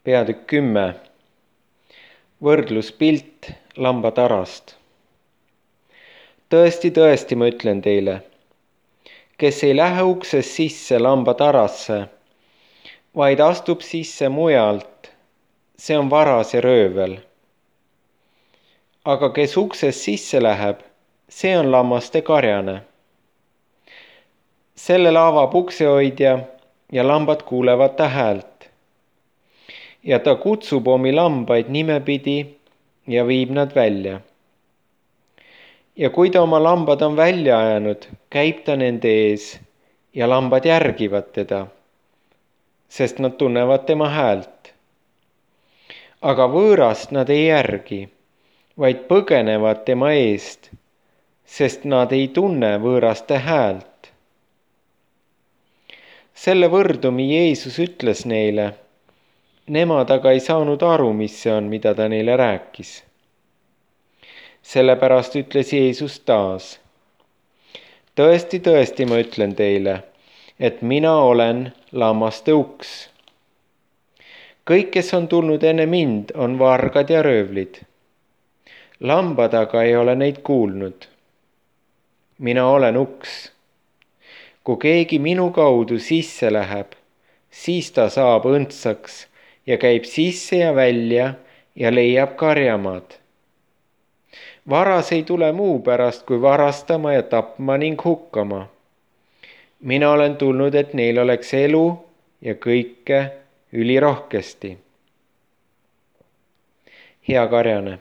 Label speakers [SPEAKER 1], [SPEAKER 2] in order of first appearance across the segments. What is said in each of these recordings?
[SPEAKER 1] Peatükk 10. Võrdluspilt lambatarast. Tõesti, tõesti, ma ütlen teile, kes ei lähe uksest sisse lambatarasse, vaid astub sisse mujalt, see on varas ja röövel. Aga kes uksest sisse läheb, see on lammaste karjane. Sellele avab uksehoidja ja lambad kuulevad ta häält. Ja ta kutsub omi lambaid nimepidi ja viib nad välja. Ja kui ta oma lambad on välja ajanud, käib ta nende ees ja lambad järgivad teda, sest nad tunnevad tema häält. Aga võõrast nad ei järgi, vaid põgenevad tema eest, sest nad ei tunne võõraste häält. Selle võrdumi Jeesus ütles neile. Nemad aga ei saanud aru, mis see on, mida ta neile rääkis. Sellepärast ütles Jeesus taas. Tõesti, tõesti, ma ütlen teile, et mina olen lammaste uks. Kõik, kes on tulnud enne mind, on vargad ja röövlid. Lambad aga ei ole neid kuulnud. Mina olen uks. Kui keegi minu kaudu sisse läheb, siis ta saab õndsaks ja käib sisse ja välja ja leiab karjamaad. Varas ei tule muu pärast, kui varastama ja tapma ning hukkama. Mina olen tulnud, et neil oleks elu ja kõike ülirohkesti. Hea karjane.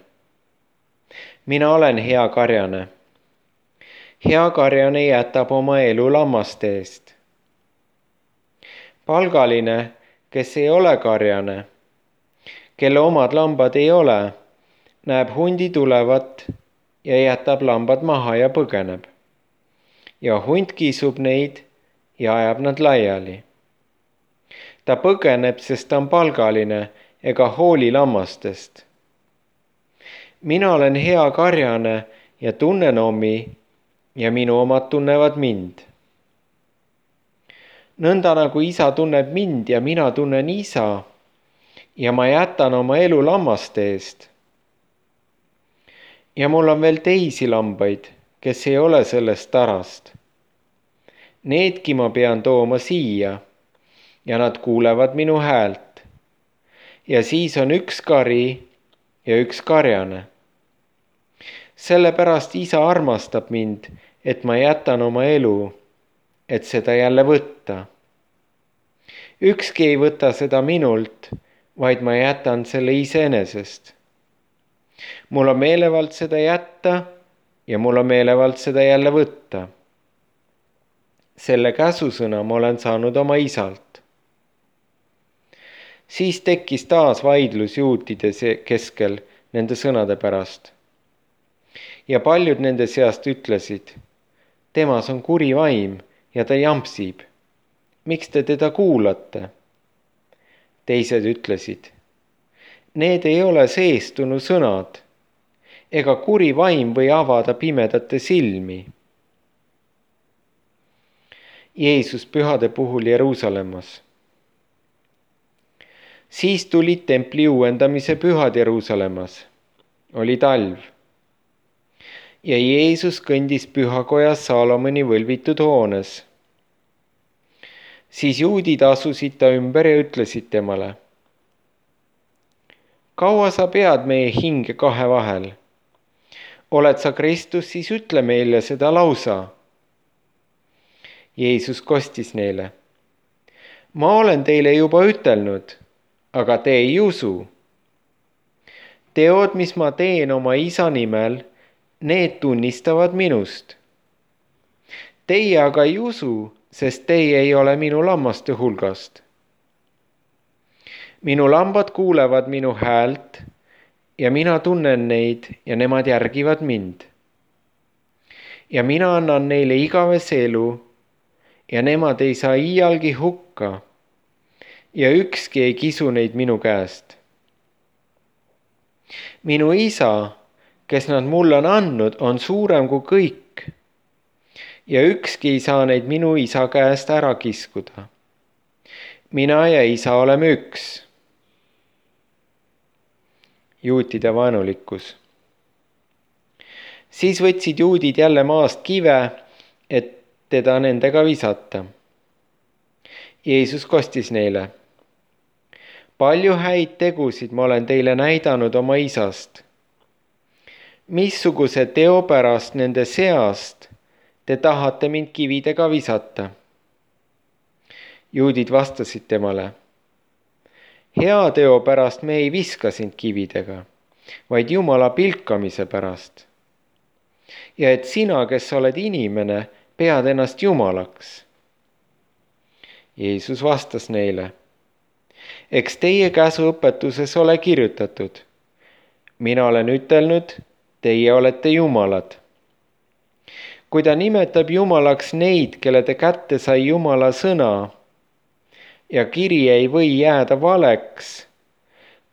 [SPEAKER 1] Mina olen hea karjane. Hea karjane jätab oma elu lammaste eest. Palgaline, kes ei ole karjane, kelle omad lambad ei ole, näeb hundi tulevat ja jätab lambad maha ja põgeneb. Ja hunt kisub neid ja ajab nad laiali. Ta põgeneb, sest ta on palgaline ega hooli lammastest. Mina olen hea karjane ja tunnen omi ja minu omad tunnevad mind. Nõnda nagu isa tunneb mind ja mina tunnen isa ja ma jätan oma elu lammaste eest. Ja mul on veel teisi lambaid, kes ei ole sellest tarast. Needki ma pean tooma siia ja nad kuulevad minu häält. Ja siis on üks kari ja üks karjane. Sellepärast isa armastab mind, et ma jätan oma elu, et seda jälle võtta. Ükski ei võta seda minult, vaid ma jätan selle iseenesest. Mul on meelevald seda jätta ja mul on meelevald seda jälle võtta. Selle käsusõna ma olen saanud oma isalt. Siis tekkis taas vaidlus juutide keskel nende sõnade pärast. Ja paljud nende seast ütlesid, temas on kuri vaim ja ta jampsib. Miks te teda kuulate? Teised ütlesid, need ei ole seestunu sõnad, ega kuri vaim või avada pimedate silmi. Jeesus pühade puhul Jeruusalemmas. Siis tulid templi uuendamise pühad Jeruusalemmas. Oli talv. Ja Jeesus kõndis pühakojas Saalomoni võlvitud hoones. Siis juudid asusid ta ümber ja ütlesid temale. Kaua sa pead meie hinge kahe vahel? Oled sa Kristus, siis ütle meile seda lausa. Jeesus kostis neile. Ma olen teile juba ütelnud, aga te ei usu. Teod, mis ma teen oma isa nimel, need tunnistavad minust. Teie aga ei usu, sest teie ei ole minu lammaste hulgast. Minu lambad kuulevad minu häält ja mina tunnen neid ja nemad järgivad mind. Ja mina annan neile igavese elu ja nemad ei saa iialgi hukka ja ükski ei kisu neid minu käest. Minu isa, kes nad mulle on andnud, on suurem kui kõik ja ükski ei saa neid minu isa käest ära kiskuda. Mina ja isa oleme üks. juutide vaenulikkus. Siis võtsid juudid jälle maast kive, et teda nendega visata. Jeesus kostis neile: palju häid tegusid ma olen teile näidanud oma isast. Missuguse teo pärast nende seast te tahate mind kividega visata? Juudid vastasid temale: hea teo pärast me ei viska sind kividega, vaid Jumala pilkamise pärast. Ja et sina, kes oled inimene, pead ennast Jumalaks. Jeesus vastas neile: eks teie käsuõpetuses ole kirjutatud: mina olen ütelnud, teie olete jumalad. Kui ta nimetab jumalaks neid, kelle ta kätte sai Jumala sõna, ja kiri ei või jääda valeks,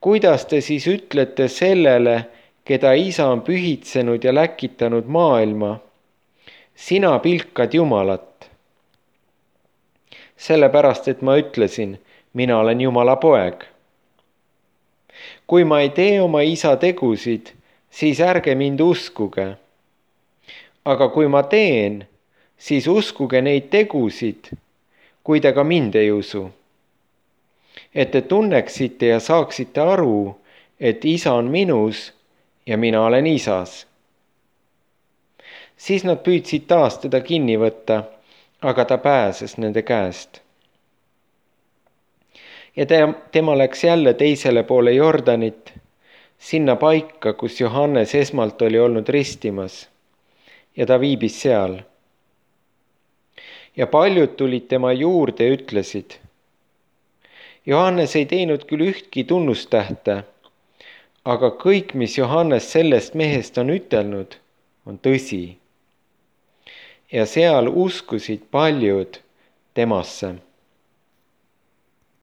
[SPEAKER 1] kuidas te siis ütlete sellele, keda Isa on pühitsenud ja läkitanud maailma: sina pilkad Jumalat? Sellepärast, et ma ütlesin, mina olen Jumala poeg. Kui ma ei tee oma isa tegusid, siis ärge mind uskuge. Aga kui ma teen, siis uskuge neid tegusid, kui te ka mind ei usu. Et te tunneksite ja saaksite aru, et isa on minus ja mina olen isas. Siis nad püüdsid taas teda kinni võtta, aga ta pääses nende käest. Ja tema läks jälle teisele poole Jordanit, sinna paika, kus Johannes esmalt oli olnud ristimas, ja ta viibis seal. Ja paljud tulid tema juurde ja ütlesid: Johannes ei teinud küll ühtki tunnustähte, aga kõik, mis Johannes sellest mehest on ütelnud, on tõsi. Ja seal uskusid paljud temasse.